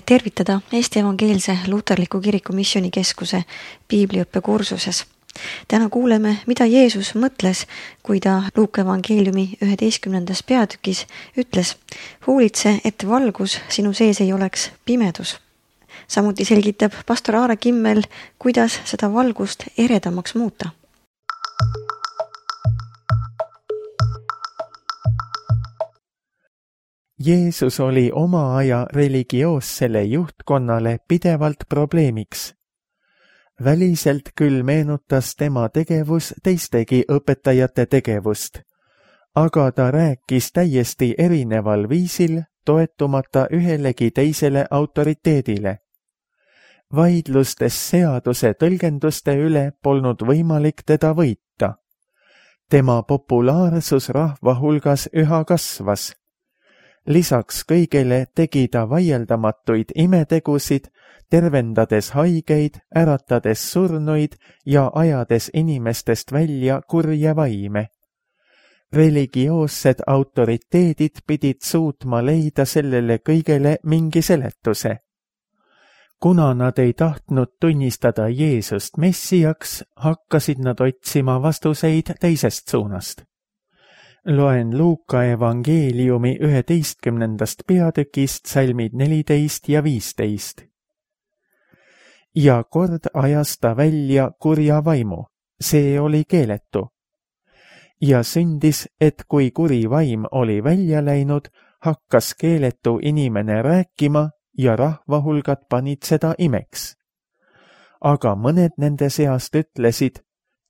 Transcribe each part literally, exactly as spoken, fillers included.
teid tervitada Eesti Evangeelse Luterliku Kiriku Missioonikeskuse piibliõppekursuses. Täna kuuleme, mida Jeesus mõtles, kui ta Luuka evangeeliumi üheteistkümnendas peatükis ütles: hoolitse, et valgus sinu sees ei oleks pimedus. Samuti selgitab pastor Aare Kimmel, kuidas seda valgust eredamaks muuta. Jeesus oli oma aja religioossele juhtkonnale pidevalt probleemiks. Väliselt küll meenutas tema tegevus teistegi õpetajate tegevust, aga ta rääkis täiesti erineval viisil, toetumata ühelegi teisele autoriteedile. Vaidlustes seaduse tõlgenduste üle polnud võimalik teda võita. Tema populaarsus rahva hulgas üha kasvas. Lisaks kõigele tegi ta vaieldamatuid imetegusid, tervendades haigeid, äratades surnuid ja ajades inimestest välja kurje vaime. Religioossed autoriteedid pidid suutma leida sellele kõigele mingi seletuse. Kuna nad ei tahtnud tunnistada Jeesust messiaks, hakkasid nad otsima vastuseid teisest suunast. Loen Luuka evangeeliumi üheteistkümnendast peatükist salmid neliteist ja viisteist. Ja kord ajas ta välja kurja vaimu, see oli keeletu. Ja sündis, et kui kuri vaim oli välja läinud, hakkas keeletu inimene rääkima ja rahvahulgad panid seda imeks. Aga mõned nende seast ütlesid: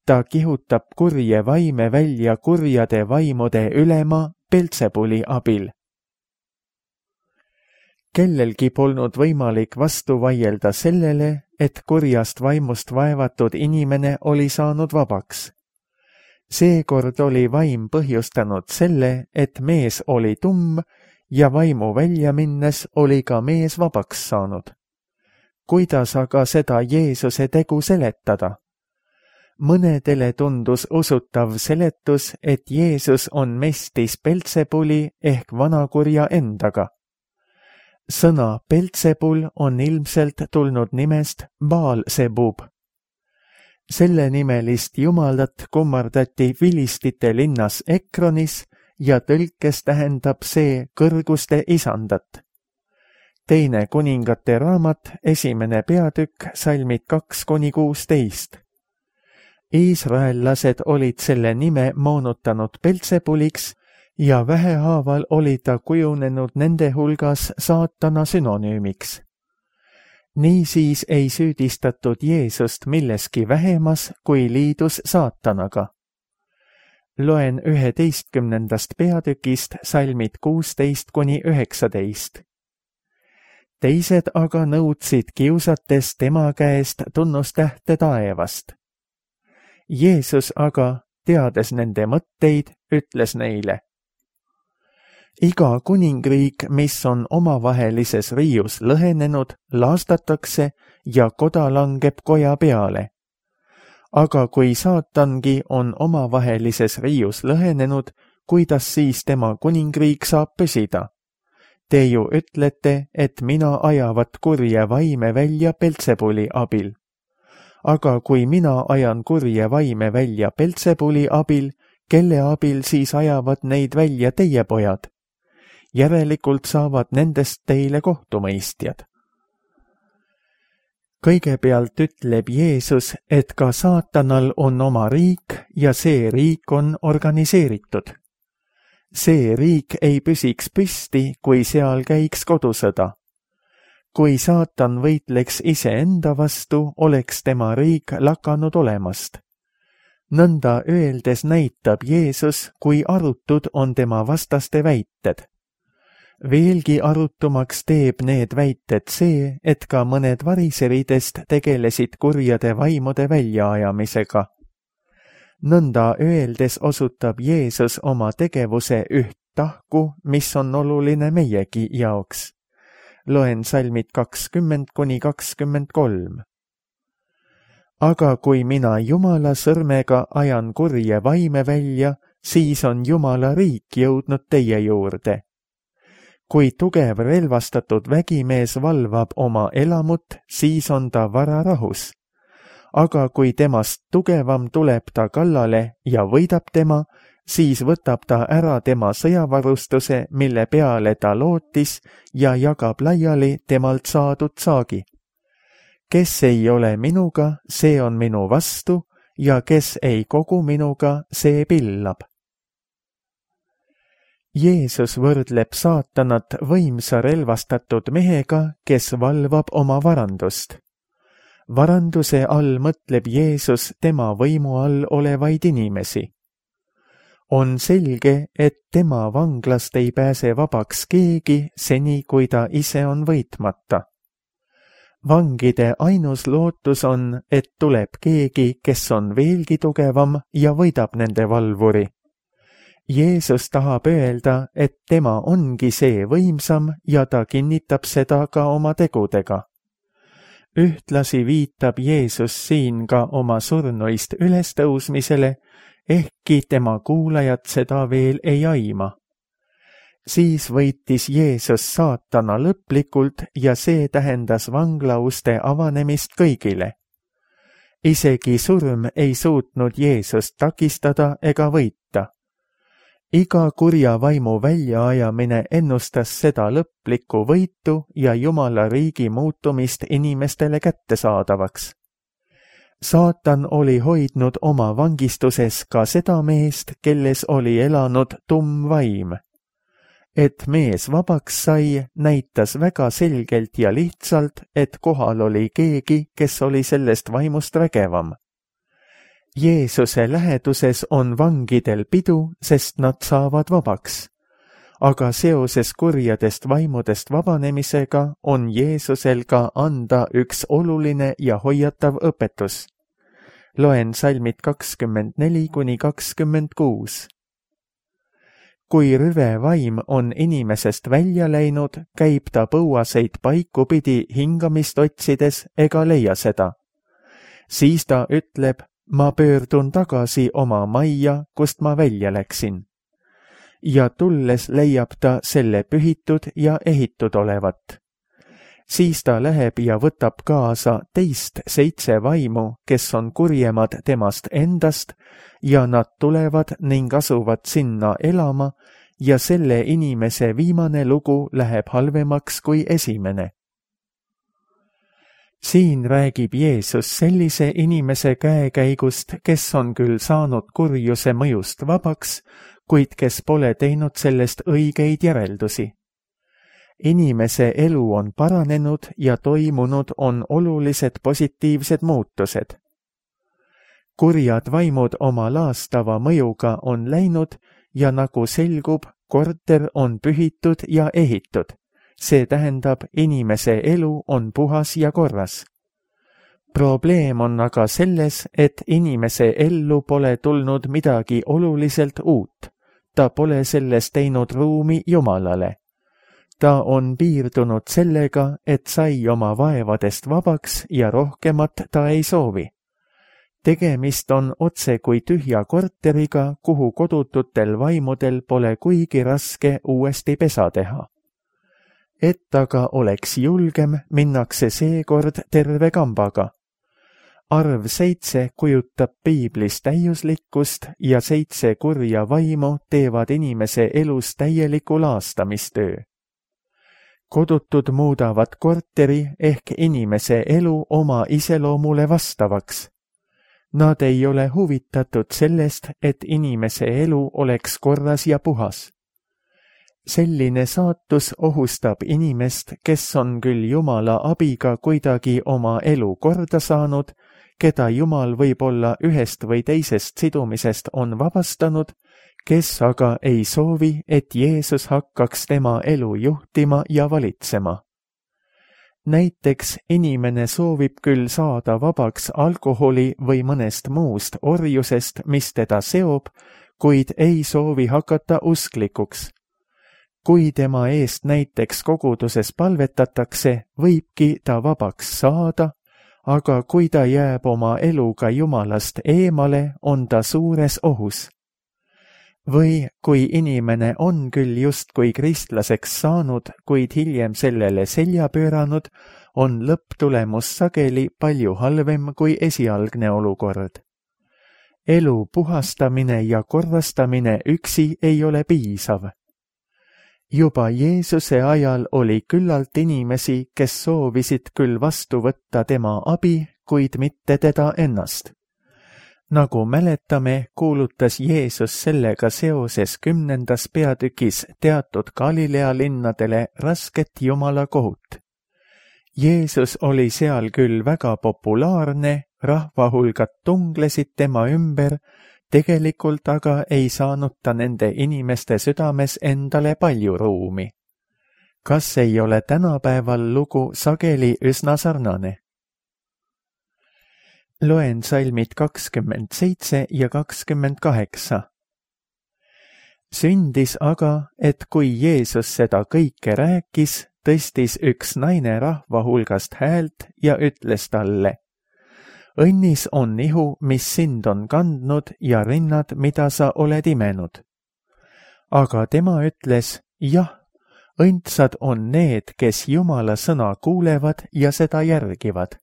ta kihutab kurje vaime välja kurjade vaimude ülema Beltsebuli abil. Kellelgi polnud võimalik vastu vaielda sellele, et kurjast vaimust vaevatud inimene oli saanud vabaks. Seekord oli vaim põhjustanud selle, et mees oli tumm ja vaimu välja minnes oli ka mees vabaks saanud. Kuidas aga seda Jeesuse tegu seletada? Mõnedele tundus usutav seletus, et Jeesus on mestis Beltsebuli ehk vanakurja endaga. Sõna Beltsebul on ilmselt tulnud nimest Baal-Sebub. Selle nimelist jumalat kummardati vilistite linnas Ekronis ja tõlkes tähendab see kõrguste isandat. Teine kuningate raamat, esimene peatükk, salmid kaks kuni kuusteist. Iisraellased olid selle nime moonutanud Beltsebuliks ja vähehaaval oli ta kujunenud nende hulgas saatana sünonüümiks. Niisiis ei süüdistatud Jeesust milleski vähemas kui liidus saatanaga. Loen üheteistkümnendast peatükist salmid kuusteist kuni üheksateist. Teised aga nõudsid kiusates tema käest tunnustähte taevast. Jeesus aga, teades nende mõtteid, ütles neile: iga kuningriik, mis on omavahelises riius lõhenenud, laastatakse ja koda langeb koja peale. Aga kui saatangi on omavahelises riius lõhenenud, kuidas siis tema kuningriik saab püsida? Te ju ütlete, et mina ajavat kurje vaime välja Beltsebuli abil. Aga kui mina ajan kurje vaime välja Beltsebuli abil, kelle abil siis ajavad neid välja teie pojad? Järelikult saavad nendest teile kohtumõistjad. Kõigepealt ütleb Jeesus, et ka saatanal on oma riik ja see riik on organiseeritud. See riik ei püsiks püsti, kui seal käiks kodusõda. Kui saatan võitleks iseenda vastu, oleks tema riik lakanud olemast. Nõnda öeldes näitab Jeesus, kui arutud on tema vastaste väited. Veelgi arutumaks teeb need väited see, et ka mõned variseridest tegelesid kurjade vaimude väljaajamisega. Nõnda öeldes osutab Jeesus oma tegevuse üht tahku, mis on oluline meiegi jaoks. Loen salmid kakskümmend kuni kakskümmend kolm. Aga kui mina Jumala sõrmega ajan kurje vaime välja, siis on Jumala riik jõudnud teie juurde. kui tugev relvastatud vägimees valvab oma elamut, siis on ta vararahus. Aga kui temast tugevam tuleb ta kallale ja võidab tema, siis võtab ta ära tema sõjavarustuse, mille peale ta lootis, ja jagab laiali temalt saadud saagi. Kes ei ole minuga, see on minu vastu, ja kes ei kogu minuga, see pillab. Jeesus võrdleb saatanat võimsa relvastatud mehega, kes valvab oma varandust. Varanduse all mõtleb Jeesus tema võimu all olevaid inimesi. On selge, et tema vanglast ei pääse vabaks keegi seni, kui ta ise on võitmata. Vangide ainus lootus on, et tuleb keegi, kes on veelgi tugevam ja võidab nende valvuri. Jeesus tahab öelda, et tema ongi see võimsam ja ta kinnitab seda ka oma tegudega. Ühtlasi viitab Jeesus siin ka oma surnuist ülestõusmisele, ehkki tema kuulajad seda veel ei aima. Siis võitis Jeesus saatana lõplikult ja see tähendas vanglauste avanemist kõigile. Isegi surm ei suutnud Jeesust takistada ega võita. Iga kurja vaimu väljaajamine ennustas seda lõplikku võitu ja Jumala riigi muutumist inimestele kättesaadavaks. Saatan oli hoidnud oma vangistuses ka seda meest, kelles oli elanud tumm vaim. Et mees vabaks sai, näitas väga selgelt ja lihtsalt, et kohal oli keegi, kes oli sellest vaimust vägevam. Jeesuse läheduses on vangidel pidu, sest nad saavad vabaks. Aga seoses kurjadest vaimudest vabanemisega on Jeesusel ka anda üks oluline ja hoiatav õpetus. Loen salmid kakskümmend neli kuni kakskümmend kuus. Kui rüve vaim on inimesest välja läinud, käib ta põuaseid paiku pidi hingamist otsides ega leia seda. Siis ta ütleb, ma pöördun tagasi oma majja, kust ma välja läksin. Ja tulles leiab ta selle pühitud ja ehitud olevat. Siis ta läheb ja võtab kaasa teist seitse vaimu, kes on kurjemad temast endast, ja nad tulevad ning asuvad sinna elama, ja selle inimese viimane lugu läheb halvemaks kui esimene. Siin räägib Jeesus sellise inimese käekäigust, kes on küll saanud kurjuse mõjust vabaks, kuid kes pole teinud sellest õigeid järeldusi. Inimese elu on paranenud ja toimunud on olulised positiivsed muutused. Kurjad vaimud oma laastava mõjuga on läinud ja nagu selgub, korter on pühitud ja ehitud. See tähendab, inimese elu on puhas ja korras. Probleem on aga selles, et inimese ellu pole tulnud midagi oluliselt uut. Ta pole sellest teinud ruumi Jumalale. Ta on piirdunud sellega, et sai oma vaevadest vabaks ja rohkemat ta ei soovi. Tegemist on otse kui tühja korteriga, kuhu kodututel vaimudel pole kuigi raske uuesti pesa teha. Et aga oleks julgem, minnakse seekord terve kambaga. Arv seitse kujutab piiblis täiuslikkust ja seitse kurja vaimu teevad inimese elus täieliku laastamistöö. Kodutud muudavad korteri ehk inimese elu oma iseloomule vastavaks. Nad ei ole huvitatud sellest, et inimese elu oleks korras ja puhas. Selline saatus ohustab inimest, kes on küll Jumala abiga kuidagi oma elu korda saanud, keda Jumal võib-olla ühest või teisest sidumisest on vabastanud, kes aga ei soovi, et Jeesus hakkaks tema elu juhtima ja valitsema. Näiteks inimene soovib küll saada vabaks alkoholi või mõnest muust orjusest, mis teda seob, kuid ei soovi hakata usklikuks. Kui tema eest näiteks koguduses palvetatakse, võibki ta vabaks saada, aga kui ta jääb oma eluga Jumalast eemale, on ta suures ohus. Või kui inimene on küll justkui kristlaseks saanud, kuid hiljem sellele selja pööranud, on lõpptulemus sageli palju halvem kui esialgne olukord. Elu puhastamine ja korrastamine üksi ei ole piisav. Juba Jeesuse ajal oli küllalt inimesi, kes soovisid küll vastu võtta tema abi, kuid mitte teda ennast. Nagu mäletame, kuulutas Jeesus sellega seoses kümnendas peatükis teatud Galilea linnadele rasket Jumala kohut. Jeesus oli seal küll väga populaarne, rahvahulgad tunglesid tema ümber, tegelikult aga ei saanud ta nende inimeste südames endale palju ruumi. Kas ei ole tänapäeval lugu sageli üsna sarnane? Loen salmid kakskümmend seitse ja kakskümmend kaheksa. Sündis aga, et kui Jeesus seda kõike rääkis, tõstis üks naine rahva hulgast häält ja ütles talle: õnnis on ihu, mis sind on kandnud ja rinnad, mida sa oled imenud. Aga tema ütles: jah, õndsad on need, kes Jumala sõna kuulevad ja seda järgivad.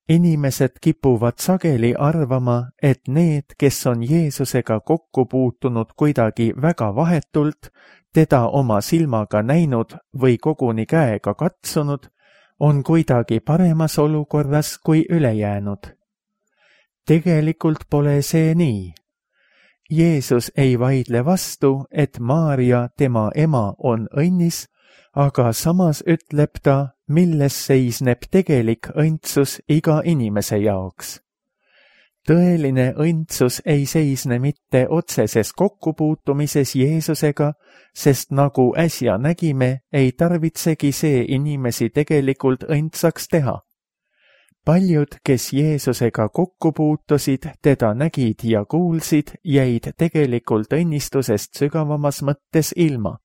Inimesed kipuvad sageli arvama, et need, kes on Jeesusega kokku puutunud kuidagi väga vahetult, teda oma silmaga näinud või koguni käega katsunud, on kuidagi paremas olukorras kui ülejäänud. Tegelikult pole see nii. Jeesus ei vaidle vastu, et Maarja, tema ema, on õnnis, aga samas ütleb ta, milles seisneb tegelik õndsus iga inimese jaoks. Tõeline õndsus ei seisne mitte otseses kokkupuutumises Jeesusega, sest nagu äsja nägime, ei tarvitsegi see inimesi tegelikult õndsaks teha. Paljud, kes Jeesusega kokku puutusid, teda nägid ja kuulsid, jäid tegelikult õnnistusest sügavamas mõttes ilma.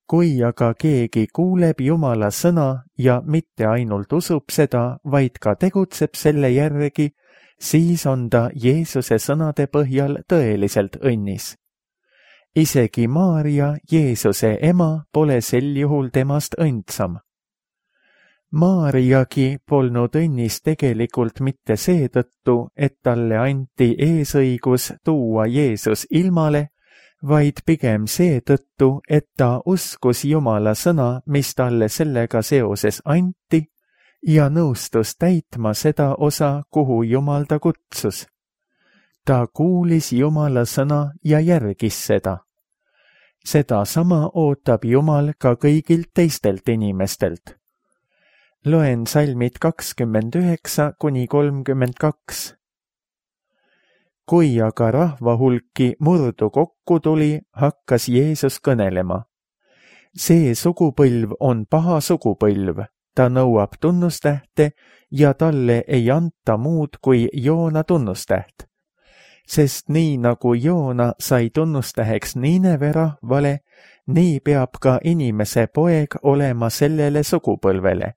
Kui aga keegi kuuleb Jumala sõna ja mitte ainult usub seda, vaid ka tegutseb selle järgi, siis on ta Jeesuse sõnade põhjal tõeliselt õnnis. Isegi Maarja, Jeesuse ema, pole sel juhul temast õndsam. Maarjagi polnud õnnis tegelikult mitte seetõttu, et talle anti eesõigus tuua Jeesus ilmale, vaid pigem seetõttu, et ta uskus Jumala sõna, mis talle sellega seoses anti, ja nõustus täitma seda osa, kuhu Jumal ta kutsus. Ta kuulis Jumala sõna ja järgis seda. Seda sama ootab Jumal ka kõigilt teistelt inimestelt. Loen salmid kakskümmend üheksa kuni kolmkümmend kaks. Kui aga rahva hulki murdu kokku tuli, hakkas Jeesus kõnelema. See sugupõlv on paha sugupõlv, ta nõuab tunnustähte ja talle ei anta muud kui Joona tunnustäht. Sest nii nagu Joona sai tunnustäheks Niineve rahvale, nii peab ka inimese poeg olema sellele sugupõlvele.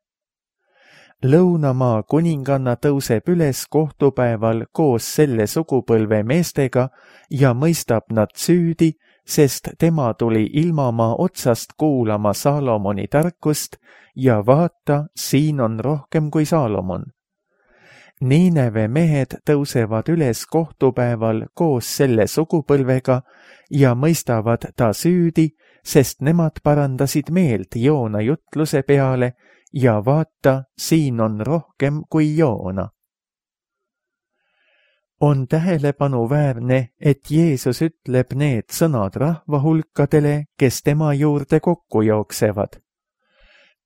Lõunamaa kuninganna tõuseb üles kohtupäeval koos selle sugupõlve meestega ja mõistab nad süüdi, sest tema tuli ilmamaa otsast kuulama Saalomoni tarkust ja vaata, siin on rohkem kui Saalomon. Niineve mehed tõusevad üles kohtupäeval koos selle sugupõlvega ja mõistavad ta süüdi, sest nemad parandasid meelt Joona jutluse peale ja vaata, siin on rohkem kui Joona. On tähelepanuväärne, et Jeesus ütleb need sõnad rahvahulkadele, kes tema juurde kokku jooksevad.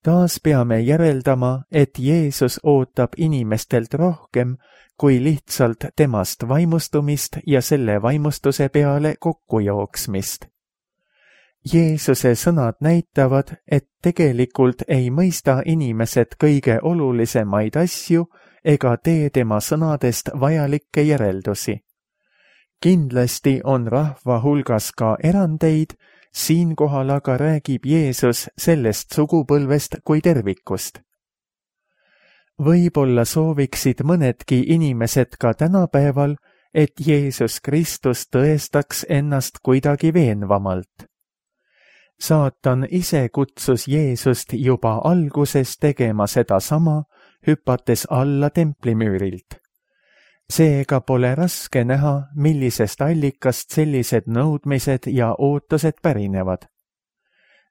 Taas peame järeldama, et Jeesus ootab inimestelt rohkem kui lihtsalt temast vaimustumist ja selle vaimustuse peale kokkujooksmist. Jeesuse sõnad näitavad, et tegelikult ei mõista inimesed kõige olulisemaid asju ega tee tema sõnadest vajalikke järeldusi. Kindlasti on rahva hulgas ka erandeid, siinkohal aga räägib Jeesus sellest sugupõlvest kui tervikust. Võib-olla sooviksid mõnedki inimesed ka tänapäeval, et Jeesus Kristus tõestaks ennast kuidagi veenvamalt. Saatan ise kutsus Jeesust juba alguses tegema sedasama, hüpates alla templimüürilt. Seega pole raske näha, millisest allikast sellised nõudmised ja ootused pärinevad.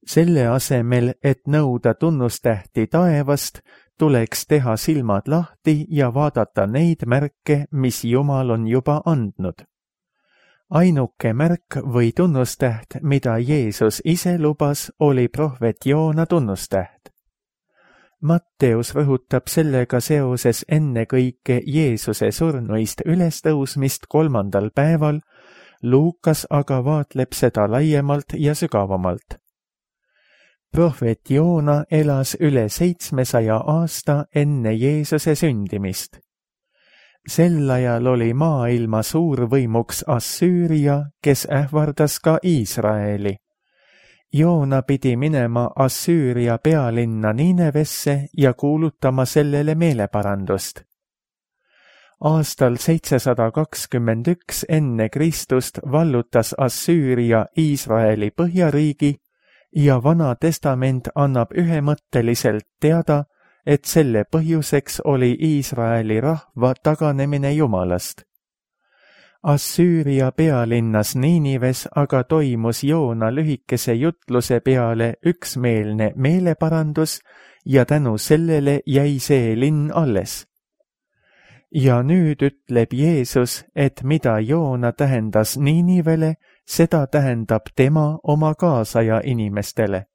Selle asemel, et nõuda tunnustähti taevast, tuleks teha silmad lahti ja vaadata neid märke, mis Jumal on juba andnud. Ainuke märk või tunnustäht, mida Jeesus ise lubas, oli prohvet Joona tunnustäht. Matteus rõhutab sellega seoses ennekõike Jeesuse surnuist ülestõusmist kolmandal päeval, Luukas aga vaatleb seda laiemalt ja sügavamalt. Prohvet Joona elas üle seitsmesaja aasta enne Jeesuse sündimist. Sel ajal oli maailma suurvõimuks Assüüria, kes ähvardas ka Iisraeli. Joona pidi minema Assüüria pealinna Ninevesse ja kuulutama sellele meeleparandust. Aastal seitsesada kakskümmend üks enne Kristust vallutas Assüüria Iisraeli põhjariigi ja Vana Testament annab ühemõtteliselt teada, et selle põhjuseks oli Iisraeli rahva taganemine Jumalast. Assüüria pealinnas Niinives aga toimus Joona lühikese jutluse peale üksmeelne meeleparandus ja tänu sellele jäi see linn alles. Ja nüüd ütleb Jeesus, et mida Joona tähendas Niinivele, seda tähendab tema oma kaasaja inimestele.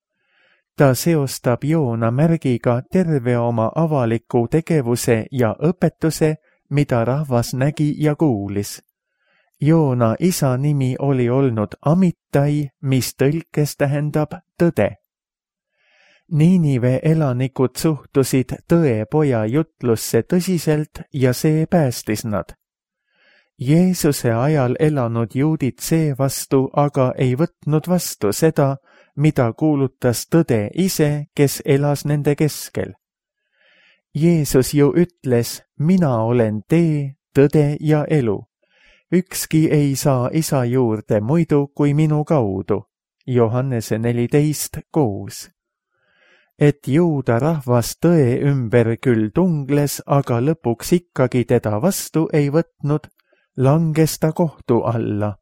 Ta seostab Joona märgiga terve oma avaliku tegevuse ja õpetuse, mida rahvas nägi ja kuulis. Joona isa nimi oli olnud Amittai, mis tõlkes tähendab tõde. Niinive elanikud suhtusid tõepoja jutlusse tõsiselt ja see päästis nad. Jeesuse ajal elanud juudid seevastu aga ei võtnud vastu seda, mida kuulutas tõde ise, kes elas nende keskel. Jeesus ju ütles, mina olen tee, tõde ja elu. Ükski ei saa isa juurde muidu kui minu kaudu. Johannese neliteist kuus. Et juuda rahvas tõe ümber küll tungles, aga lõpuks ikkagi teda vastu ei võtnud, langes ta kohtu alla.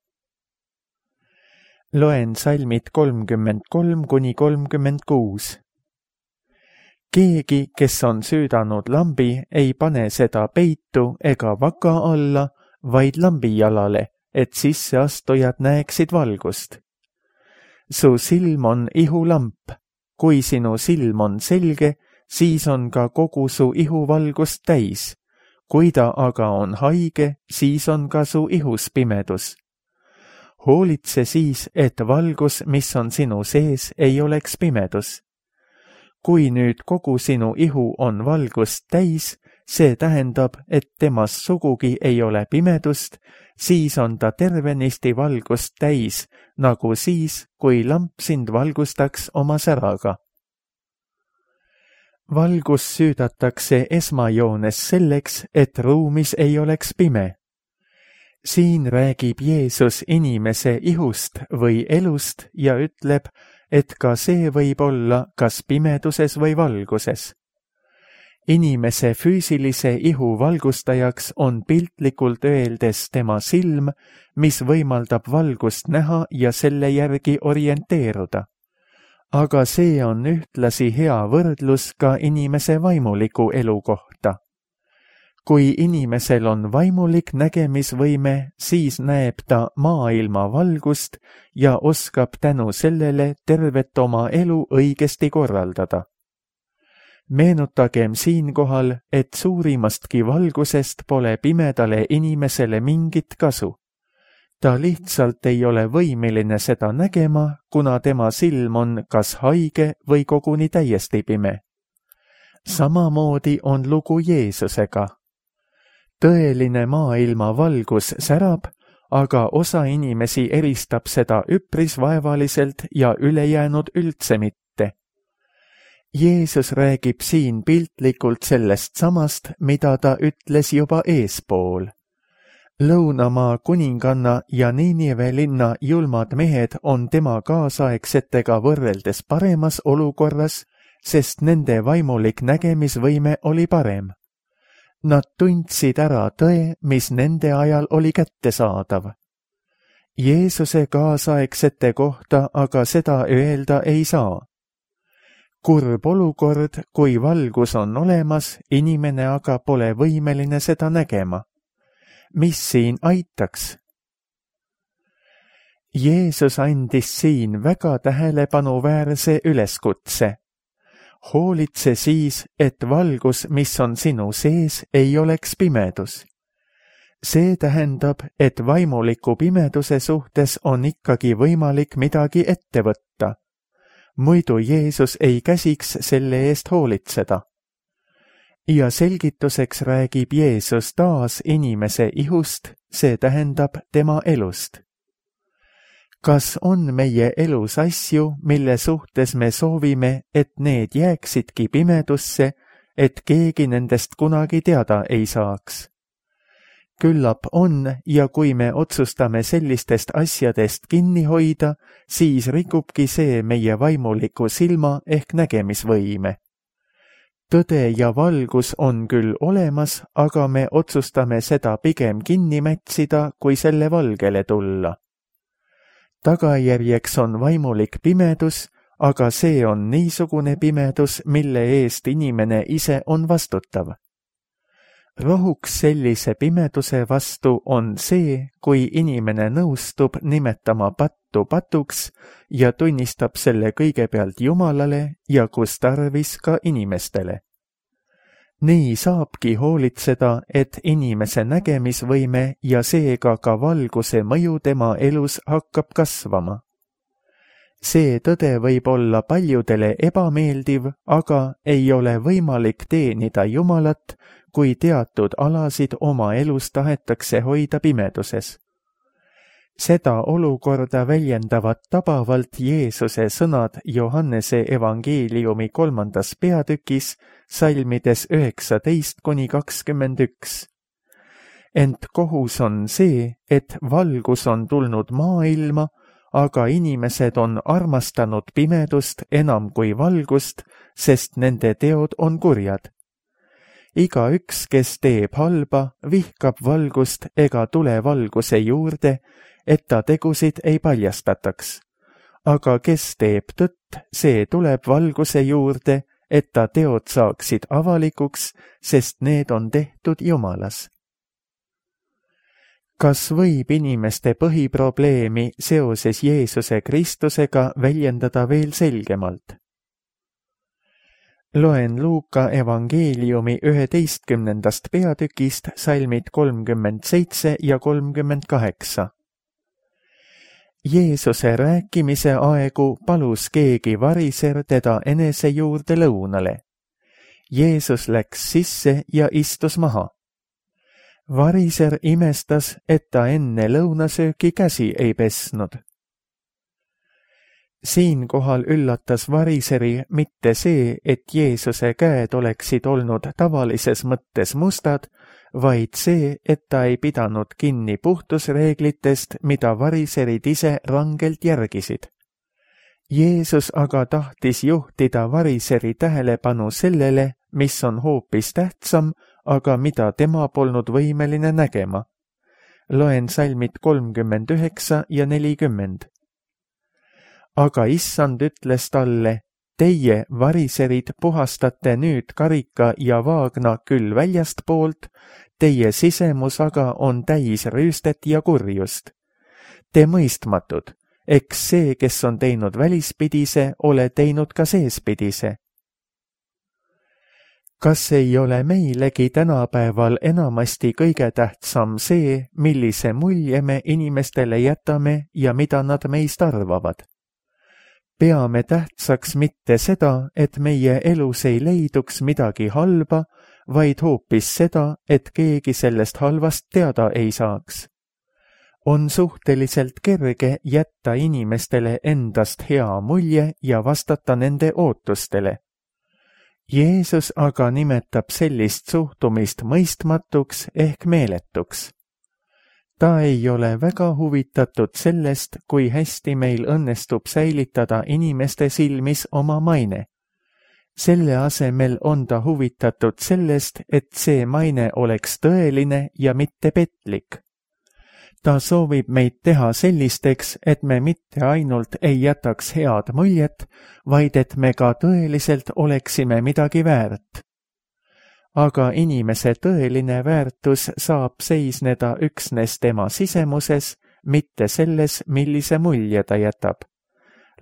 Loen salmid kolmkümmend kolm kuni kolmkümmend kuus. Keegi, kes on süüdanud lambi, ei pane seda peitu ega vaka alla, vaid lambijalale, et sisseastujad näeksid valgust. Su silm on ihulamp. Kui sinu silm on selge, siis on ka kogu su ihuvalgust täis. Kui ta aga on haige, siis on ka su ihus pimedus. Hoolitse siis, et valgus, mis on sinu sees, ei oleks pimedus. Kui nüüd kogu sinu ihu on valgust täis, see tähendab, et temas sugugi ei ole pimedust, siis on ta tervenisti valgust täis, nagu siis, kui lamp sind valgustaks oma säraga. Valgus süüdatakse esmajoones selleks, et ruumis ei oleks pime. Siin räägib Jeesus inimese ihust või elust ja ütleb, et ka see võib olla kas pimeduses või valguses. Inimese füüsilise ihu valgustajaks on piltlikult öeldes tema silm, mis võimaldab valgust näha ja selle järgi orienteeruda. Aga see on ühtlasi hea võrdlus ka inimese vaimuliku elu kohta. Kui inimesel on vaimulik nägemisvõime, siis näeb ta maailma valgust ja oskab tänu sellele tervet oma elu õigesti korraldada. Meenutagem siinkohal, et suurimastki valgusest pole pimedale inimesele mingit kasu. Ta lihtsalt ei ole võimeline seda nägema, kuna tema silm on kas haige või koguni täiesti pime. Samamoodi on lugu Jeesusega. Tõeline maailma valgus särab, aga osa inimesi eristab seda üpris vaevaliselt ja ülejäänud üldse mitte. Jeesus räägib siin piltlikult sellest samast, mida ta ütles juba eespool. Lõunamaa kuninganna ja Niinive linna julmad mehed on tema kaasaegsetega võrreldes paremas olukorras, sest nende vaimulik nägemisvõime oli parem. Nad tundsid ära tõe, mis nende ajal oli kättesaadav. Jeesuse kaasaegsete kohta aga seda öelda ei saa. Kurb olukord, kui valgus on olemas, inimene aga pole võimeline seda nägema. Mis siin aitaks? Jeesus andis siin väga tähelepanuväärse üleskutse. Hoolitse siis, et valgus, mis on sinu sees, ei oleks pimedus. See tähendab, et vaimuliku pimeduse suhtes on ikkagi võimalik midagi ette võtta. Muidu Jeesus ei käsiks selle eest hoolitseda. Ja selgituseks räägib Jeesus taas inimese ihust, see tähendab tema elust. Kas on meie elus asju, mille suhtes me soovime, et need jääksidki pimedusse, et keegi nendest kunagi teada ei saaks? Küllap on, ja kui me otsustame sellistest asjadest kinni hoida, siis rikubki see meie vaimuliku silma ehk nägemisvõime. Tõde ja valgus on küll olemas, aga me otsustame seda pigem kinni mätsida, kui selle valgele tulla. Tagajärjeks on vaimulik pimedus, aga see on niisugune pimedus, mille eest inimene ise on vastutav. Rohuks sellise pimeduse vastu on see, kui inimene nõustub nimetama pattu patuks ja tunnistab selle kõigepealt Jumalale ja kus tarvis ka inimestele. Nii saabki hoolitseda, et inimese nägemisvõime ja seega ka valguse mõju tema elus hakkab kasvama. See tõde võib olla paljudele ebameeldiv, aga ei ole võimalik teenida Jumalat, kui teatud alasid oma elus tahetakse hoida pimeduses. Seda olukorda väljendavad tabavalt Jeesuse sõnad Johannese evangeeliumi kolmandas peatükis, salmides üheksateist kuni kakskümmend üks. Ent kohus on see, et valgus on tulnud maailma, aga inimesed on armastanud pimedust enam kui valgust, sest nende teod on kurjad. Igaüks, kes teeb halba, vihkab valgust ega tule valguse juurde, et ta tegusid ei paljastataks. Aga kes teeb tõtt, see tuleb valguse juurde, et ta teod saaksid avalikuks, sest need on tehtud Jumalas. Kas võib inimeste põhiprobleemi seoses Jeesuse Kristusega väljendada veel selgemalt? Loen Luuka evangeeliumi üheteistkümnendast peatükist salmid kolmkümmend seitse ja kolmkümmend kaheksa. Jeesuse rääkimise aegu palus keegi variser teda enese juurde lõunale. Jeesus läks sisse ja istus maha. Variser imestas, et ta enne lõunasööki käsi ei pesnud. Siinkohal üllatas variseri mitte see, et Jeesuse käed oleksid olnud tavalises mõttes mustad, vaid see, et ta ei pidanud kinni puhtusreeglitest, mida variserid ise rangelt järgisid. Jeesus aga tahtis juhtida variseri tähelepanu sellele, mis on hoopis tähtsam, aga mida tema polnud võimeline nägema. Loen salmid kolmkümmend üheksa ja nelikümmend. Aga issand ütles talle, teie, variserid, puhastate nüüd karika ja vaagna küll väljastpoolt, teie sisemus aga on täis rüüstet ja kurjust. Te mõistmatud, eks see, kes on teinud välispidise, ole teinud ka seespidise. Kas ei ole meilegi tänapäeval enamasti kõige tähtsam see, millise mulje me inimestele jätame ja mida nad meist arvavad? Peame tähtsaks mitte seda, et meie elus ei leiduks midagi halba, vaid hoopis seda, et keegi sellest halvast teada ei saaks. On suhteliselt kerge jätta inimestele endast hea mulje ja vastata nende ootustele. Jeesus aga nimetab sellist suhtumist mõistmatuks ehk meeletuks. ta ei ole väga huvitatud sellest, kui hästi meil õnnestub säilitada inimeste silmis oma maine. Selle asemel on ta huvitatud sellest, et see maine oleks tõeline ja mitte petlik. Ta soovib meid teha sellisteks, et me mitte ainult ei jätaks head muljet, vaid et me ka tõeliselt oleksime midagi väärt. Aga inimese tõeline väärtus saab seisneda üksnes tema sisemuses, mitte selles, millise mulje ta jätab.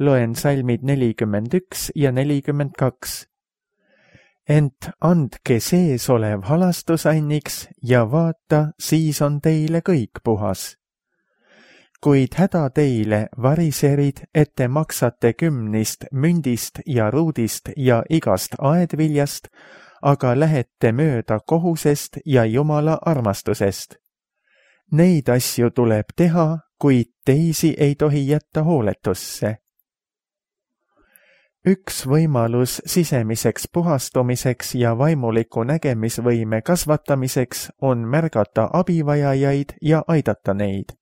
Loen salmid nelikümmend üks ja nelikümmend kaks. Ent andke sees olev halastusanniks ja vaata, siis on teile kõik puhas. Kuid häda teile, variserid, et te maksate kümnist, mündist ja ruudist ja igast aedviljast, aga lähete mööda kohusest ja Jumala armastusest. Neid asju tuleb teha, kuid teisi ei tohi jätta hooletusse. Üks võimalus sisemiseks puhastumiseks ja vaimuliku nägemisvõime kasvatamiseks on märgata abivajajaid ja aidata neid.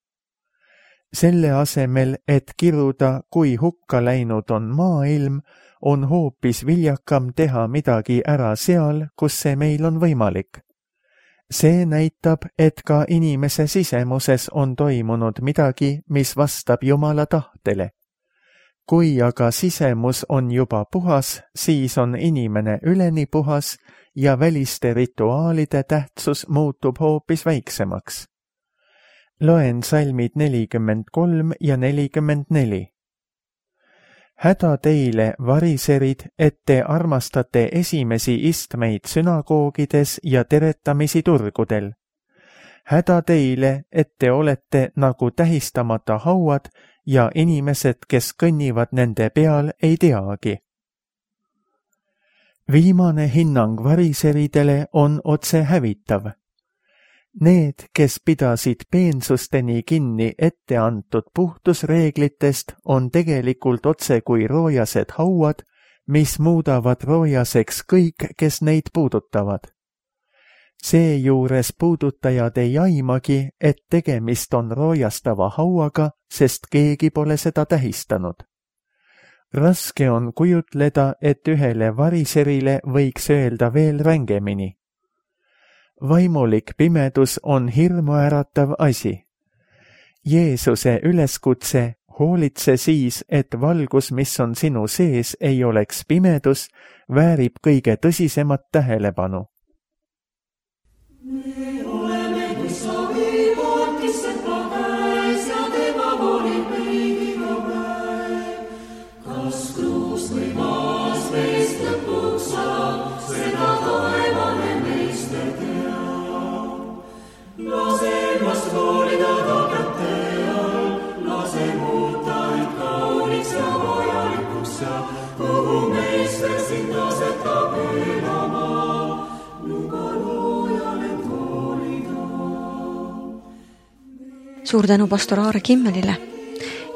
Selle asemel, et kiruda, kui hukka läinud on maailm, on hoopis viljakam teha midagi ära seal, kus see meil on võimalik. See näitab, et ka inimese sisemuses on toimunud midagi, mis vastab Jumala tahtele. Kui aga sisemus on juba puhas, siis on inimene üleni puhas ja väliste rituaalide tähtsus muutub hoopis väiksemaks. Loen salmid nelikümmend kolm ja nelikümmend neli. Häda teile, variserid, et te armastate esimesi istmeid sünagoogides ja teretamisi turgudel. Häda teile, et te olete nagu tähistamata hauad ja inimesed, kes kõnnivad nende peal, ei teagi. Viimane hinnang variseridele on otse hävitav. Need, kes pidasid peensusteni kinni ette antud puhtusreeglitest, on tegelikult otse kui roojased hauad, mis muudavad roojaseks kõik, kes neid puudutavad. Seejuures puudutajad ei aimagi, et tegemist on roojastava hauaga, sest keegi pole seda tähistanud. Raske on kujutleda, et ühele variserile võiks öelda veel rängemini. Vaimulik pimedus on hirmuäratav asi. Jeesuse üleskutse, hoolitse siis, et valgus, mis on sinu sees, ei oleks pimedus, väärib kõige tõsisemat tähelepanu. Me oleme kui savipoolt, kes seda käes ja tema volib meid iga päev. Kas kruus või maas meist lõpuks saab, seda taevane meister teab. Lase ennast hoolida ta kätte all, lase muuta end kauniks ja vajalikuks ja kuhu meister sind asetab elama. Luba loojale toolida. Suur tänu pastor Aare Kimmelile.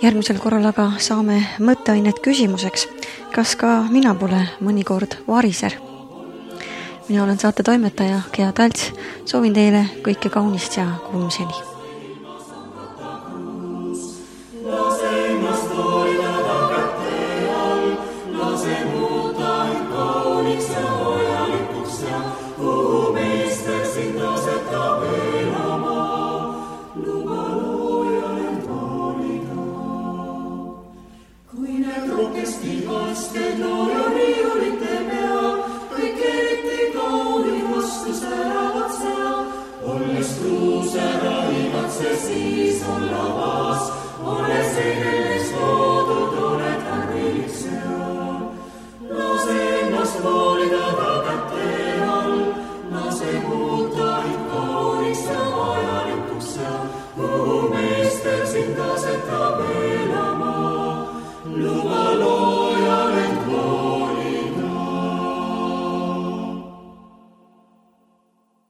Järgmisel korral aga saame mõtteainet küsimuseks, kas ka mina pole mõnikord variser. Mina olen saate toimetaja Gea Talts, soovin teile kõike kaunist ja kuulmiseni.